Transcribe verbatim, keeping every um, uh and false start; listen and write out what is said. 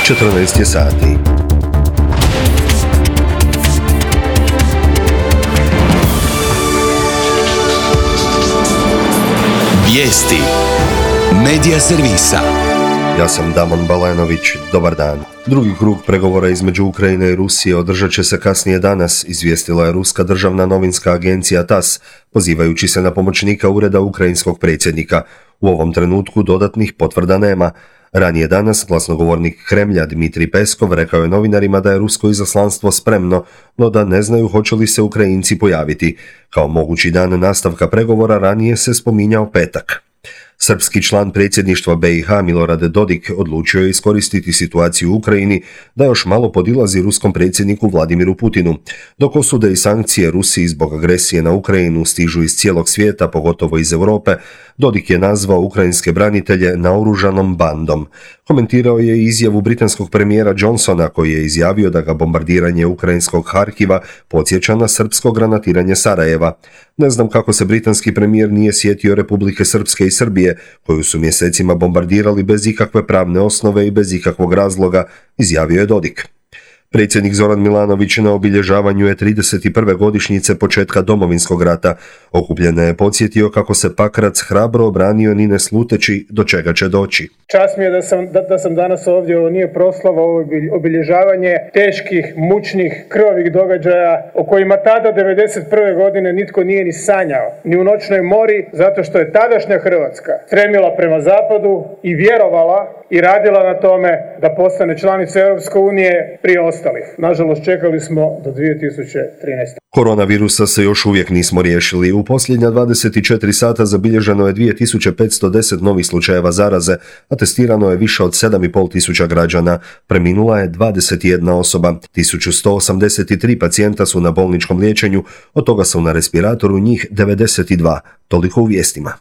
četrnaest je sati. Vijesti Medija servisa. Ja sam Damon Balenović, dobar dan. Drugi krug pregovora između Ukrajine i Rusije održat će se kasnije danas, izvijestila je ruska državna novinska agencija TASS, pozivajući se na pomoćnika ureda ukrajinskog predsjednika. U ovom trenutku dodatnih potvrda nema. Ranije danas glasnogovornik Kremlja Dmitrij Peskov rekao je novinarima da je rusko izaslanstvo spremno, no da ne znaju hoće li se Ukrajinci pojaviti. Kao mogući dan nastavka pregovora ranije se spominjao petak. Srpski član predsjedništva B i H Milorad Dodik odlučio je iskoristiti situaciju u Ukrajini da još malo podilazi ruskom predsjedniku Vladimiru Putinu. Dok osude i sankcije Rusiji zbog agresije na Ukrajinu stižu iz cijelog svijeta, pogotovo iz Europe, Dodik je nazvao ukrajinske branitelje naoružanom bandom. Komentirao je izjavu britanskog premijera Johnsona koji je izjavio da ga bombardiranje ukrajinskog Harkiva podsjeća na srpsko granatiranje Sarajeva. Ne znam kako se britanski premijer nije sjetio Republike Srpske i Srbije, koju su mjesecima bombardirali bez ikakve pravne osnove i bez ikakvog razloga, izjavio je Dodik. Predsjednik Zoran Milanović na obilježavanju je trideset prve godišnjice početka Domovinskog rata. Okupljene je podsjetio kako se Pakrac hrabro obranio ni ne sluteći do čega će doći. Čast mi je da sam, da, da sam danas ovdje, ovo nije proslava, ovo je obilježavanje teških, mučnih, krvavih događaja o kojima tada devedeset prve godine nitko nije ni sanjao, ni u noćnoj mori, zato što je tadašnja Hrvatska stremila prema zapadu i vjerovala i radila na tome da postane članica Europske unije prije ostalih. Nažalost, čekali smo do dvije tisuće trinaeste. Koronavirusa se još uvijek nismo riješili. U posljednja dvadeset četiri sata zabilježeno je dvije tisuće petsto deset novih slučajeva zaraze, a testirano je više od sedam i pol tisuća građana. Preminula je dvadeset jedna osoba. tisuću sto osamdeset tri pacijenta su na bolničkom liječenju, od toga su na respiratoru njih devedeset dva. Toliko u vijestima.